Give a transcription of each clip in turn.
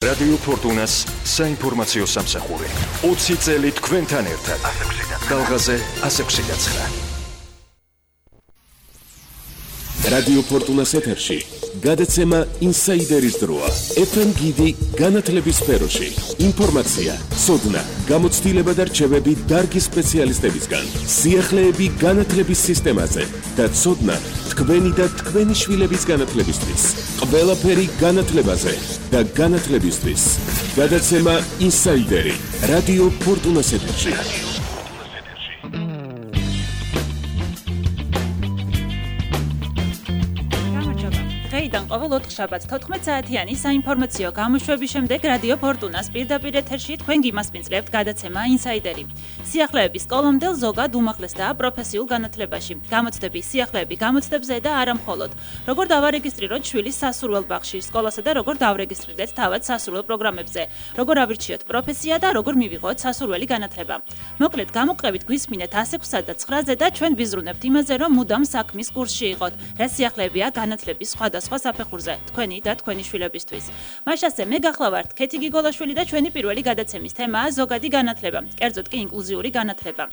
რადიო ფორტუნას საინფორმაციო სამსახური. 20 წელი თქვენთან ერთად. დალღაზე 169. რადიო ფორტუნას ეთერში გადაცემა ინსაიდერის დროა. FM გიდი განათლების სფეროში. ინფორმაცია, ცოდნა, გამოცდილება და რჩევები დარგის სპეციალისტებისგან. სიახლეები განათლების სისტემაზე და ცოდნა თქვენი და თქვენი შვილების განათლებისთვის. ყველაფერი განათლებაზე და განათლებისთვის. გადაცემა ინსაიდერი. რადიო ფორტუნას ეთერში. დღეიდან ყოველ 4 შაბათს 14 საათიანი საინფორმაციო გამოშვების შემდეგ რადიო ფორტუნას პირდაპირ ეთერში თქვენ გიმასპინძლებთ გადაცემა ინსაიდერი. სიახლეების სკოლამდელ ზოგად უმაღლესდაა პროფესიულ განათლებაში. გამოცდების სიახლეები გამოცდებზე და არა მხოლოდ. როგორ დავარეგისტრიროთ შვილის სასურველ ბაღში, სკოლასა და როგორ დავრეგისტრირდეთ თავად სასურველ პროგრამებზე, როგორ ავირჩიოთ პროფესია და როგორ მივიღოთ სასურველი განათლება. მოკლედ, გამოყევით გვისმინეთ 106-სა და 9-ზე და ჩვენ ვიზრუნებთ იმაზე, რომ მუდამ საქმის კურსში იყოთ, რა სიახლეებია განათლების სხვადასხვა საფეხურზე, თქვენი და თქვენი შვილებისთვის. მაშასე მე გახლავართ ქეთი გიგოლაშვილი და ჩვენი პირველი გადაცემის თემაა ზოგადი განათლება, კერძოდ კი ინკლუზიური განათლება.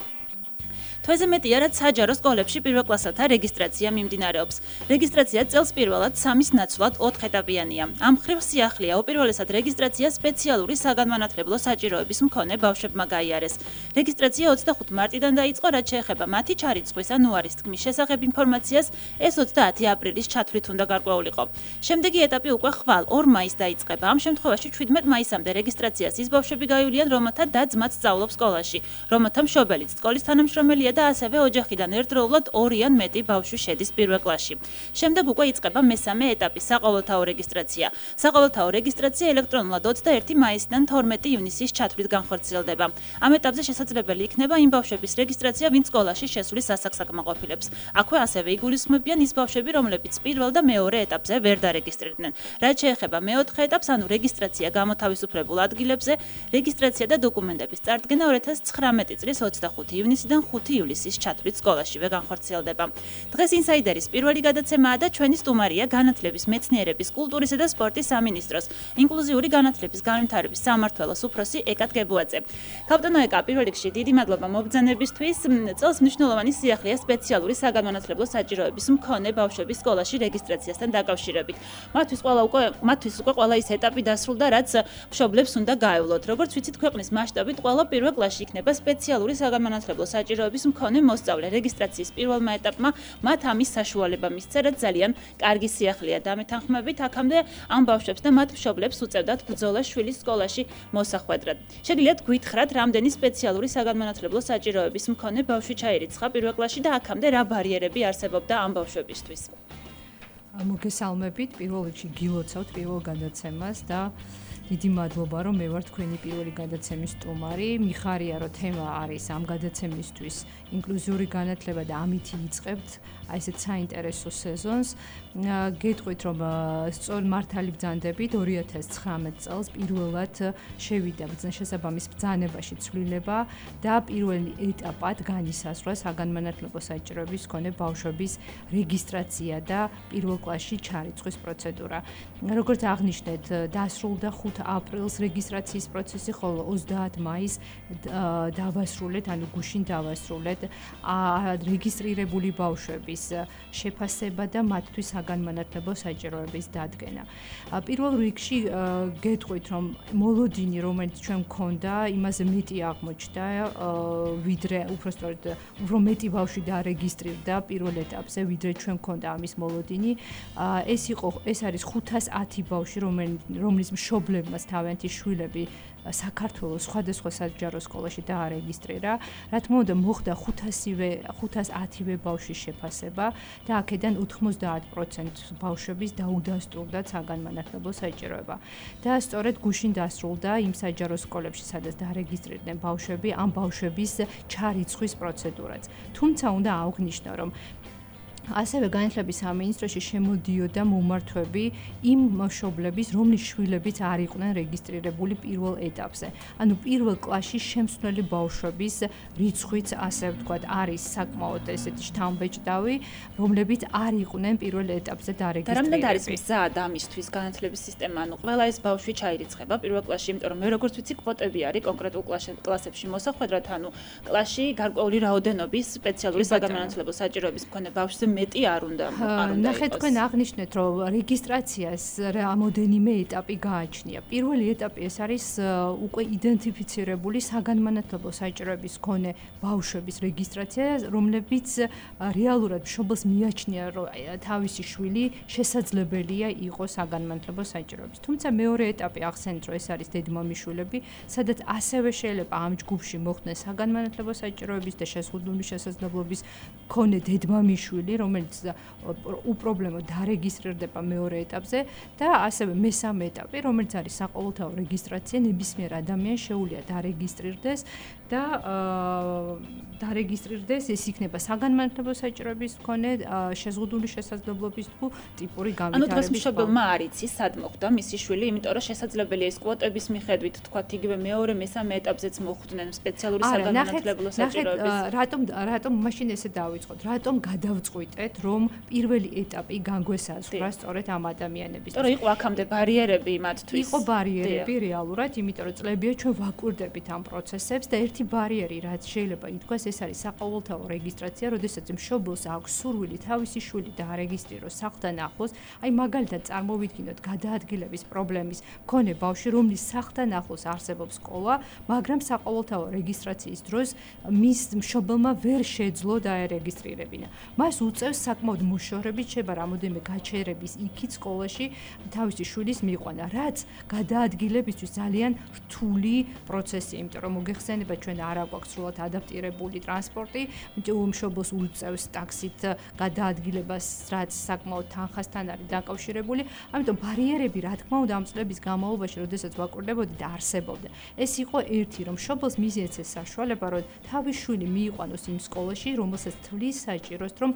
თვეზე მეტია, რაც საჯარო სკოლებში პირველკლასელთა რეგისტრაცია მიმდინარეობს. რეგისტრაცია წელს პირველად 3-ის ნაცვლად 4 ეტაპიანია. ამ მხრივ სიახლეა უპირველესად რეგისტრაცია სპეციალური საგანმანათლებლო საჭიროების მქონე ბავშვებმა გაიარეს. რეგისტრაცია 25 მარტიდან დაიწყო, რაც შეეხება მათი ჩარიცხვის ან უარის თქმის შესახებ ინფორმაციას, ეს 30 აპრილის ჩათვლით უნდა გარკვეულიყო. შემდეგი ეტაპი უკვე ხვალ 2 მაისს დაიწყება. ამ შემთხვევაში 17 მაისამდე რეგისტრაციას ის ბავშვები გაივლიან, რომელთა და ძმაც სწავლობს სკოლაში, რომელთა მშობელიც სკოლის თანამშრომელია და ასევე ოჯახიდან ერთდროულად 2 ან მეტი ბავშვი შედის პირველ კლასში. შემდეგ უკვე იწყება მესამე ეტაპი, საყოველთაო რეგისტრაცია. საყოველთაო რეგისტრაცია ელექტრონულად 21 მაისიდან 12 ივნისის ჩათვლით განხორციელდება. ამ ეტაპზე შესაძლებელი იქნება იმ ბავშვების რეგისტრაცია, ვინც სკოლაში შესulis ასაკს აკმაყოფილებს. აქვე ასევე იგულისხმებიან ის ბავშვები, რომლებიც პირველ და მეორე ეტაპზე ვერ დარეგისტრირდნენ. რაც შეეხება მეოთხე ეტაპს, ანუ რეგისტრაცია გამოთავისუფლებულ ადგილებზე, რეგისტრაცია და დოკუმენტების წარდგენა 2019 წლის 25 ივნისიდან 5 ივლისის ჩათვლით სკოლაშივე განხორციელდება. დღეს ინსაიდერის პირველი გადაცემაა და ჩვენი სტუმარია განათლების, მეცნიერების, კულტურისა და სპორტის სამინისტროს ინკლუზიური განათლების განვითარების სამმართველოს უფროსი ეკა დგებუაძე. ქალბატონო ეკა, პირველ რიგში დიდი მადლობა მობრძანებისთვის. წელს მნიშვნელოვანი სიახლეა სპეციალური საგანმანათლებლო საჭიროების მქონე ბავშვების სკოლაში რეგისტრაციასთან დაკავშირებით. მათთვის უკვე ყველა ის ეტაპი დასრულდა, რაც მშობლებს უნდა გაევლოთ. როგორც ვიცით, ქვეყნის მასშტაბით ყველა პირველ კლასში იქნება სპეციალური საგანმანათლებლო საჭიროების მქონე მოსწავლე. რეგისტრაციის პირველმა ეტაპმა მათ ამის საშუალება მისცა, რაც ძალიან კარგი სიახლეა. დამეთანხმებით, აქამდე ამ ბავშვებს და მათ მშობლებს უწევდათ ბრძოლა შვილის სკოლაში მოსახვედრად. შეგიძლიათ გითხრათ, რამდენი სპეციალური საგანმანათლებლო საჭიროების მქონე ბავშვი ჩაირიცხა პირველ კლასში და აქამდე რა ბარიერები არსებობდა ამ ბავშვებისთვის? მოგესალმებით, პირველ რიგში გილოცავთ პირველ გადაცემას და დიდი მადლობა, რომ მე ვარ თქვენი პირველი გადაცემის სტუმარი. მიხარია, რომ თემა არის ამ გადაცემისთვის ინკლუზიური განათლება და ამით იწყებთ აი ესეთ საინტერესო სეზონს. გეტყვით, რომ სწორ მართალი ბრძანდებით 2019 წელს პირველად შევიდა შესაბამის ბრძანებაში ცვლილება და პირველ ეტაპად განისაზღვრა საგანმანათლებლო საჭიროების მქონე ბავშვების რეგისტრაცია და პირველ კლასში ჩარიცხვის პროცედურა. როგორც აღნიშნეთ, დასრულდა 5 აპრილს რეგისტრაციის პროცესი, ხოლო 30 მაისს დავასრულეთ, ანუ გუშინ დავასრულეთ რეგისტრირებული ბავშვების შეფასება და მათთვის საგანმანათლებლო საჭიროების დადგენა. პირველ რიგში გეტყვით, რომ მოლოდინი, რომელიც ჩვენ გქონდა, იმაზე მეტი აღმოჩნდა, ვიდრე უბრალოდ უფრო მეტი ბავშვი დარეგისტრირდა პირველ ეტაპზე, ვიდრე ჩვენ გქონდა ამის მოლოდინი. ეს არის 510 ბავშვი, რომლის მშობლებმა თავიანთი შვილები საქართველოს სხვადასხვა საჯარო სკოლაში დაარეგისტრირა. რა თქმა უნდა, მოხდა 510 ბავშვის შეფასება და აქედან 90% ბავშვების დაუდასტურდა საგანმანათლებლო საჭიროება. და სწორედ გუშინ დასრულდა იმ საჯარო სკოლებში, სადაც დაარეგისტრირდნენ ბავშვები, ამ ბავშვების ჩარიცხვის პროცედურაც. თუმცა უნდა აღვნიშნო, რომ ასევე განათლების სამინისტროში შემოდიოდა მომართვები იმ მშობლების, რომლის შვილებიც არ იყვნენ რეგისტრირებული პირველ ეტაპზე. ანუ პირველ კლასში შემცვლელი ბავშვების რიცხვიც, ასე ვთქვათ, არის საკმაოდ ესეთი შთამბეჭდავი, რომლებიც არ იყვნენ პირველ ეტაპზე დარეგისტრირებული. და რამდენად არის მზად ამისთვის განათლების სისტემა? ანუ ყველა ეს ბავშვი ჩაირიცხება პირველ კლასში, იმიტომ რომ მე როგორც ვიცი, კვოტები არის კონკრეტულ კლასებში მოსახვედრად, ანუ კლასში გარკვეული რაოდენობის სპეციალური საგანმანათლებლო საჭიროების მქონე ბავშვზე მეტი არ უნდა ნახეთ, თქვენ აღნიშნეთ, რომ რეგისტრაციას რამოდენიმე ეტაპი გააჩნია. პირველი ეტაპი ეს არის უკვე იდენტიფიცირებული საგანმანათლებლო საჭიროების მქონე ბავშვების რეგისტრაცია, რომლებიც რეალურად მშობელს მიაჩნია, რომ თავისი შვილი შესაძლებელია იყოს საგანმანათლებლო საჭიროების. თუმცა მეორე ეტაპი ახსენეთ, რომ ეს არის დედმამიშვილები, სადაც ასევე შეიძლება ამ ჯგუფში მოხვდეს საგანმანათლებლო საჭიროების და შეზღუდული შესაძლებლობის მქონე დედმამიშვილი, რომელიც უპრობლემოდ დარეგისტრირდება მეორე ეტაპზე და ასევე მესამე ეტაპი, რომელიც არის საყოველთაო რეგისტრაცია, ნებისმიერ ადამიანს შეუძლია დარეგისტრირდეს და დარეგისტრირდეს, ეს იქნება საგანმანათლებლო საჭიროების მქონე შეზღუდული შესაძლებლობის თუ ტიპური განვითარების. ანუ დღეს მშობელმა არ იცის, სად მოხვდა მისი შვილი, იმიტომ რომ შესაძლებელია ეს კვოტების მიხედვით, თქვათ, იგივე მეორე, მესამე ეტაპზეც მოხვდნენ სპეციალური საგანმანათლებლო საჭიროების. რატომ მაშინ ესე დავიწყოთ? რატომ გადავწყვიტეთ, რომ პირველი ეტაპი განგვესაზღვრა სწორედ ამ ადამიანების? იმიტომ რომ იყო აქამდე ბარიერები მათთვის. იყო ბარიერები რეალურად, იმიტომ რომ წლებია ჩვენ ვაკურდებით ამ პროცესებს და ერთი ბარიერი, რაც შეიძლება ითქვას, ეს არის საყოველთაო რეგისტრაცია, როდესაც მშობელს აქვს სურვილი თავისი შვილი დაარეგისტრიროს სახლთან ახლოს, აი მაგალითად წარმოვიდგინოთ გადაადგილების პრობლემის მქონე ბავშვი, რომლის სახლთან ახლოს არსებობს სკოლა, მაგრამ საყოველთაო რეგისტრაციის დროს მის მშობელმა ვერ შეძლო დაერეგისტრირებინა. მას უწევს საკმაოდ მოშორებით შეიძლება რამოდენიმე გაჩერების იქით სკოლაში თავისი შვილის მიყვანა, რაც გადაადგილებისთვის ძალიან რთული პროცესია, იმიტომ რომ მოგეხსენება ჩვენ არ აქვს სრულად ადაპტირებული ტრანსპორტი, მშობელს უწევს ტაქსით გადაადგილებას, რაც საკმაოდ თანხასთან არის დაკავშირებული, ამიტომ ბარიერები რა თქმა უნდა ამ წლების განმავლობაში, როდესაც ვაკურდებოდი და არსებობდა. ეს იყო ერთი, რომ მშობელს მიზეცეს საშუალება, რომ თავის შვილი მიიყვანოს იმ სკოლაში, რომელსაც თვლის საჭიროს, რომ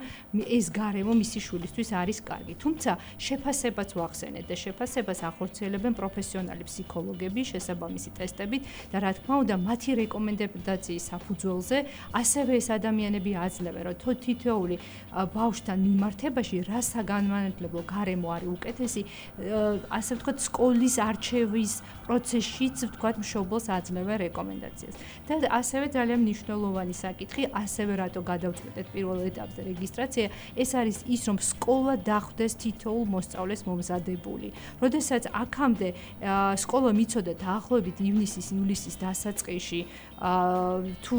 ეს გარემო მისი შვილისთვის არის კარგი. თუმცა შეფასებაც ვახსენეთ და შეფასებას ახორციელებენ პროფესიონალი ფსიქოლოგები შესაბამისი ტესტებით და რა თქმა უნდა მათი რეკომენდაციის საფუძველზე ასევე ეს ადამიანები აძლევენ, რომ თითოეული ბავშვთან მიმართებაში რა საგანმანათლებლო გარემო არის უკეთესი, ასე ვთქვათ, სკოლის არჩევის პროცესშიც ვთქვათ მშობელს აძლევენ რეკომენდაციას. და ასევე ძალიან მნიშვნელოვანი საკითხი, ასევე რატო გადავწყვეტეთ პირველ ეტაპზე რეგისტრაცია, ეს არის ის, რომ სკოლა დახვდეს თითოეულ მოსწავლეს მომზადებული. როდესაც აქამდე სკოლა მიცოდა დაახლოებით ივნისის დასაწყისში, თუ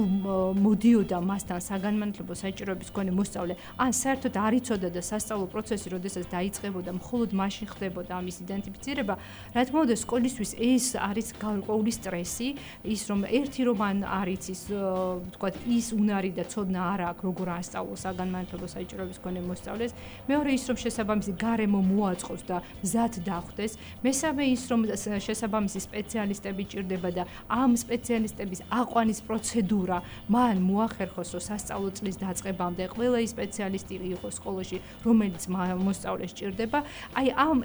მოდიოდა მასთან საგანმანათლებლო საჭიროების მქონე მოსწავლე, ან საერთოდ არ იცოდა და სასწავლო პროცესი, როდესაც დაიწყებოდა, მხოლოდ მაშინ ხდებოდა ამის იდენტიფიცირება, რა თქმა უნდა, სკოლისთვის ეს არის გარკვეული სტრესი, ის რომ ერთი რომ არ იცის, ვთქვათ, ის უნარი და ცოდნა არ აქვს, როგორ ასწავლოს საგანმანათლებლო საჭიროების მქონე მოსწავლეს, მეორე ის რომ შესაბამისი გარემო მოაწყოს და მზად დახვდეს, მესამე ის რომ შესაბამისი სპეციალისტები ჭირდება და ამ სპეციალისტების აყვანის პროცედურა მან მოახერხოს, რომ სასწავლო წლის დაწყებამდე ყველა ის სპეციალისტი იყოს სკოლაში, რომელიც მოსწავლეს ჭირდება. აი ამ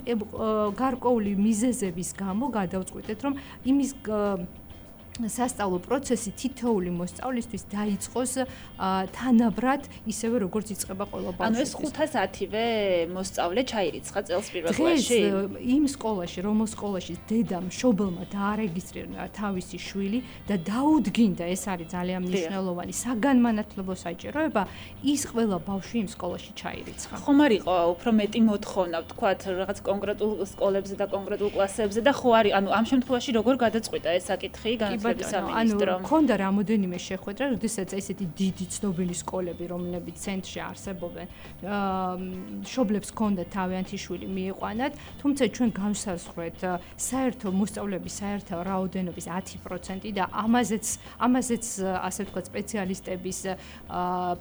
გარკვეული მიზეზების გამო გადავწყვიტეთ, რომ იმის სასწავლო პროცესი თითოეული მოსწავლისთვის დაიწყოს თანაბრად, ისევე როგორც იწყება ყველა ბავშვისთვის. ანუ ეს 510-ვე მოსწავლე ჩაირიცხა წელს პირველ კლასში? დღეს იმ სკოლაში, რომელ სკოლაში დედა მშობელმა დაარეგისტრირა თავისი შვილი და დაუდგინდა, ეს არის ძალიან მნიშვნელოვანი საგანმანათლებლო საჭიროება, ის ყველა ბავშვი იმ სკოლაში ჩაირიცხა. ხომ არ იყო უფრო მეტი მოთხოვნა, ვთქვათ, რაღაც კონკრეტულ სკოლებზე და კონკრეტულ კლასებზე და ხო არის, ანუ ამ შემთხვევაში როგორ გადაწყვიტა ეს საკითხი ანუ ქონდა რამოდენიმე შეხვედრა, როდესაც ესეთი დიდი ცნობილი სკოლები, რომლებიც ცენტრში არსებობენ, მშობლებს ქონდა თავიანთი შვილი მიიყვანათ, თუმცა ჩვენ განსაზღვრეთ საერთო მოსწავლეების საერთო რაოდენობის 10% და ამაზეც ასე ვთქვათ სპეციალისტების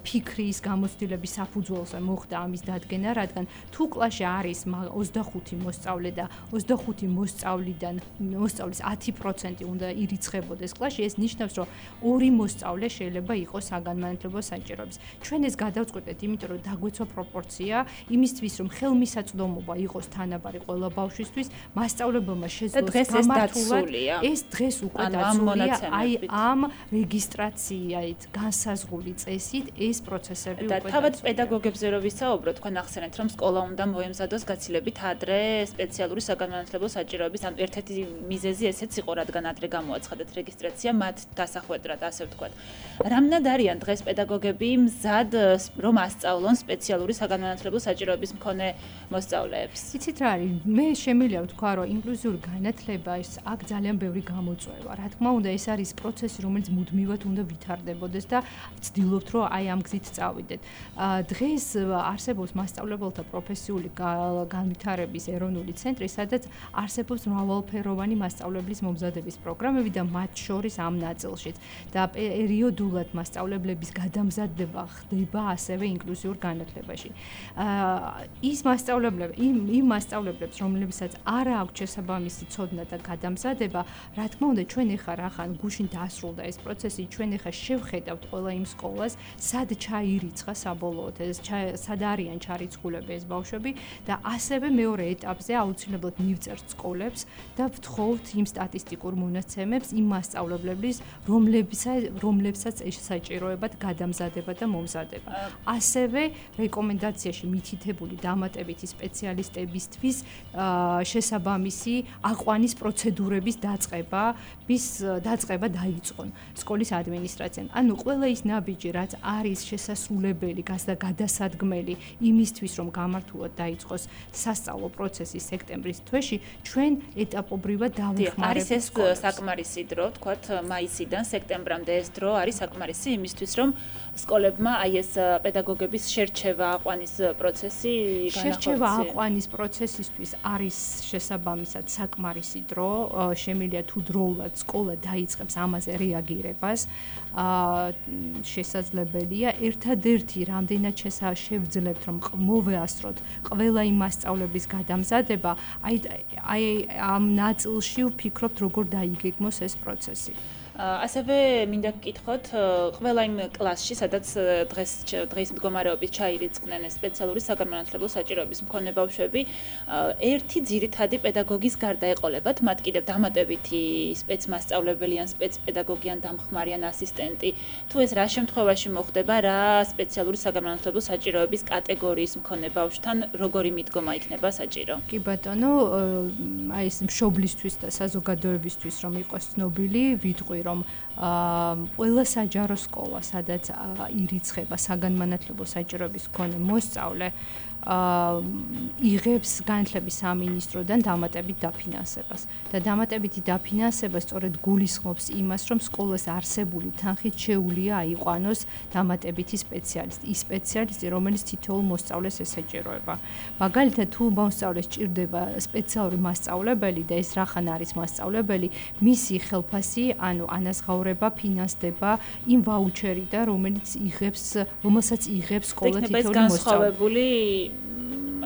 ფიქრის გამოცდილების საფუძველზე მოხდა ამის დადგენა, რადგან თუ კლასში არის 25 მოსწავლე და 25 მოსწავლიდან მოსწავლის 10% უნდა ირიცხებოდეს დაიწყოდეს კლასში, ეს ნიშნავს, რომ ორი მოსწავლე შეიძლება იყოს საგანმანათლებლო საჭიროების. ჩვენ ეს გადავწყვეტეთ, იმიტომ რომ დაგვეცვა პროპორცია იმისთვის, რომ ხელმისაწვდომობა იყოს თანაბარი ყველა ბავშვისთვის, მასწავლებელმა შეძლოს გამართულად ეს დღეს უკვე დაცულია, აი ამ რეგისტრაციით, განსაზღვრული წესით ეს პროცესები უკვე და თავად პედაგოგებზე რო ვისაუბროთ, თქვენ ახსენეთ, რომ სკოლა უნდა მოემზადოს გაცილებით ადრე სპეციალური საგანმანათლებლო საჭიროების, ანუ ერთ-ერთი მიზეზი ესეც იყო, რადგან ადრე გამოაცხადეთ რეგისტრაცია მათ დასახვედრად, ასე ვთქვათ. რამდენად არიან დღეს პედაგოგები მზად, რომ ასწავლონ სპეციალური საგანმანათლებლო საჭიროების მქონე მოსწავლეებს? იცით რა არის? მე შემიძლია ვთქვა, რომ ინკლუზიური განათლება ის აქ ძალიან ბევრი გამოწვევა. რა თქმა უნდა, ეს არის პროცესი, რომელიც მუდმივად უნდა ვითარდებოდეს და ვცდილობთ, რომ აი ამ გზით წავიდეთ. დღეს არსებობს მასწავლებელთა პროფესიული განვითარების ეროვნული ცენტრი, სადაც არსებობს მრავალფეროვანი მასწავლებლის მომზადების პროგრამები და მათ შორის ამ ნაწილშიც და პერიოდულად მასწავლებლების გადამზადება ხდება ასევე ინკლუზიურ განათლებაში. ის მასწავლებლები, იმ მასწავლებლებს, რომლებსაც არ აქვს შესაბამისი ცოდნა და გადამზადება, რა თქმა უნდა, ჩვენ ეხლა რახან გუშინ დაასრულდა ეს პროცესი, ჩვენ ეხლა შევხედავთ ყველა იმ სკოლას, სად ჩაირიცხა საბოლოოდ ეს სად არიან ჩარიცხულები ეს ბავშვები და ასევე მეორე ეტაპზე აუცილებლად მივწერთ სკოლებს და ვთხოვთ იმ სტატისტიკურ მონაცემებს იმ მასწავლებლების, რომლებსაც ეს საჭიროებად გადამზადება და მომზადება. ასევე რეკომენდაციაში მითითებული დამატებითი სპეციალისტებისთვის შესაბამისი აყვანის პროცედურების დაწყება დაიწყონ სკოლის ადმინისტრაციამ. ანუ ყველა ის ნაბიჯი, რაც არის შესასრულებელი და გადასადგმელი იმისთვის, რომ გამართულად დაიწყოს სასწავლო პროცესი სექტემბრის თვეში, ჩვენ ეტაპობრივად დავიხმარებთ. არის ეს საკმარისი დრო, ვთქვათ, მაისიდან სექტემბრამდე ეს დრო არის საკმარისი იმისთვის, რომ სკოლებმა აი ეს პედაგოგების შერჩევა აყვანის პროცესი განახორციელოს. შერჩევა აყვანის პროცესისთვის არის შესაბამისად საკმარისი დრო, შემიძლია თუ დროულად სკოლა დაიწყებს ამაზე რეაგირებას, შესაძლებელია. ერთადერთი რამდენად შევძლებთ, რომ მოვეასწროთ ყველა იმ მასწავლებლის გადამზადება, აი ამ ნაწილში ვფიქრობთ, როგორ დაიგეგმოს ეს პროცესი. ასევე მინდა გკითხოთ, ყველა იმ კლასში, სადაც დღის მდგომარეობით ჩაირიცხნენ სპეციალური საგანმანათლებლო საჭიროების მქონე ბავშვები, ერთი ძირითადი პედაგოგის გარდა ეყოლებათ, მათ კიდევ დამატებითი სპეცმასწავლებელი ან სპეცპედაგოგი ან დამხმარე ან ასისტენტი. თუ ეს რა შემთხვევაში მოხდება, რა სპეციალური საგანმანათლებლო საჭიროების კატეგორიის მქონე ბავშვთან როგორი მიდგომა იქნება საჭირო? კი ბატონო, აი ეს მშობლისთვის და საზოგადოებისთვის რომ იყოს ცნობილი, ვიტყვი რომ ყველა საჯარო სკოლა, სადაც ირიცხება საგანმანათლებლო საჭიროების მქონე მოსწავლე, იღებს განათლების სამინისტროდან დამატებით დაფინანსებას. და დამატებითი დაფინანსება სწორედ გულისხმობს იმას, რომ სკოლას არსებული თანხით შეუძლია აიყვანოს დამატებითი სპეციალისტი. ის სპეციალისტი, რომელიც თითოეულ მოსწავლეს ესაჭიროება. მაგალითად, თუ მოსწავლეს ჭირდება სპეციალური მასწავლებელი და ეს რახან არის მასწავლებელი, მისი ხელფასი, ანუ ანაზღაურება ფინანსდება იმ ვაუჩერიდან, რომელსაც იღებს სკოლა თითოეული მოსწავლე.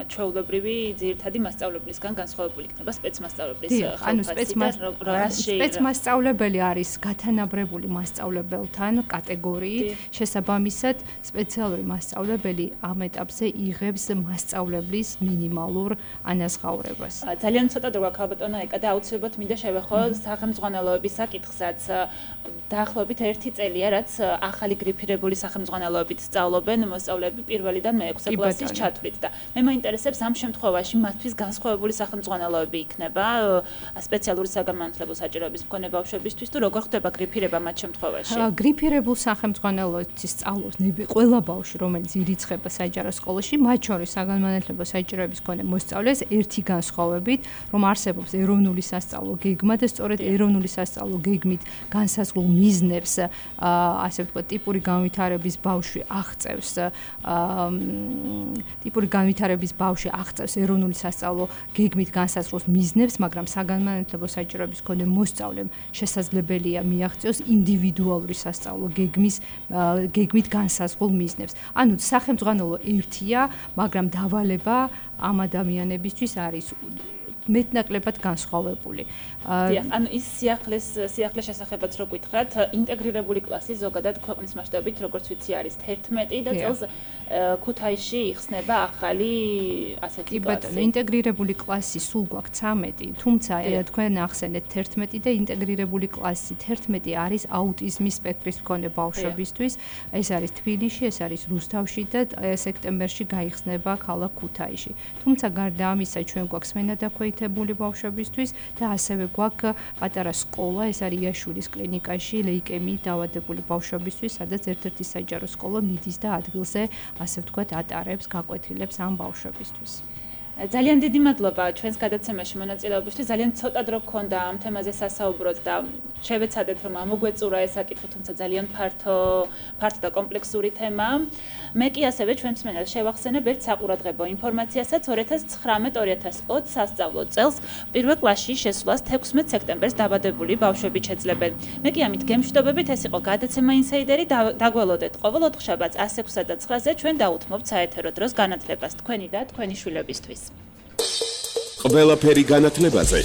ჩვეულებრივი ძირითადი მასწავლებლისგან განსხვავებული იქნება სპეცმასწავლებლის ხელფასი. სპეცმასწავლებელი არის გათანაბრებული მასწავლებელთან კატეგორიით, შესაბამისად სპეციალური მასწავლებელი ამ ეტაპზე იღებს მასწავლებლის მინიმალურ ანაზღაურებას. ძალიან ცოტა დრო აქვს ალბათონა ეკა და აუცილებლად მინდა შევეხო სახელმძღვანელოების საკითხსაც. დაახლოებით 1 წელია, რაც ახალი გრიფირებული სახელმძღვანელოებით სწავლობენ მოსწავლეები პირველიდან მე-6 კლასის ჩათვლით და მე მაინტერესებს ამ შემთხვევაში მათთვის განსხვავებული სახელმძღვანელოები იქნება სპეციალური საგანმანათლებლო საჭიროების მქონე ბავშვებისთვის თუ როგორ ხდება გრიფირება მათ შემთხვევაში? გრიფირებულ სახელმძღვანელოთი სწავლობს ყველა ბავშვი, რომელიც ირიცხება საჯარო სკოლაში, მათ შორის საგანმანათლებლო საჭიროების მქონე მოსწავლეს ერთი განსხვავებით, რომ არსებობს ეროვნული სასწავლო გეგმა და სწორედ ეროვნული სასწავლო გეგმით განსაზღვრულ მიზნებს, ასე ვთქვათ, ტიპური განვითარების ბავშვი აღწევს ეროვნული სასწავლო გეგმით განსაზღვრულ მიზნებს, მაგრამ საგანმანათლებლო საჭიროების მქონე მოსწავლემ შესაძლებელია მიაღწიოს ინდივიდუალური სასწავლო გეგმით განსაზღვრულ მიზნებს. ანუ სახელმძღვანელო ერთია, მაგრამ დავალება ამ ადამიანებისთვის არის მეტნაკლებად განსხვავებული. დიახ, ანუ ის სიახლის შესახებაც რო გითხრათ, ინტეგრირებული კლასი ზოგადად ქვეყნის მასშტაბით, როგორც ვიცი, არის 11 და წელს ქუთაისში იხსნება ახალი ასეთი კლასი. ინტეგრირებული კლასი სულ გვაქვს 13, თუმცა თქვენ ახსენეთ 11 და ინტეგრირებული კლასი 11 არის აუტიზმის სპექტრის მქონე ბავშვებისთვის. ეს არის თბილისში, ეს არის რუსთავში და სექტემბერში გაიხსნება ქალაქ ქუთაისში. თუმცა გარდა ამისა, ჩვენ გვაქვს მენადაქვეითებული ბავშვებისთვის და ასევე გვაქვს პატარა სკოლა, ეს არის იაშურის კლინიკაში ლეიკემიით დაავადებული ბავშვებისთვის, სადაც ერთ-ერთი საჯარო სკოლა მიდის და ადგილზე, ასე ვთქვათ, ატარებს, გაკვეთილებს ამ ბავშვებისთვის. ძალიან დიდი მადლობა ჩვენს გადაცემაში მონაწილეობისთვის. ძალიან ცოტა დრო გქონდა ამ თემაზე სასაუბროთ და შევეცადეთ რომ ამოგვეწურა ეს საკითხი, თუმცა ძალიან ფართო და კომპლექსური თემაა. მე კი ასევე ჩვენს მსმენელს შევახსენებ ერთ საყურადღებო ინფორმაციასაც 2019-2020 სასწავლო წელს პირველ კლასში შესვლას 16 სექტემბერს დაბადებული ბავშვები შეძლებენ. მე კი ამით გემშვიდობებით, ეს იყო გადაცემა ინსაიდერი. დაგველოდეთ ყოველ ოთხშაბათს 106-სა და 9-ზე ჩვენ დაუთმობთ საეთერო დროს განათლებას თქვენი და თქვენი შვილებისთვის. ყველაფერი განათლებაზე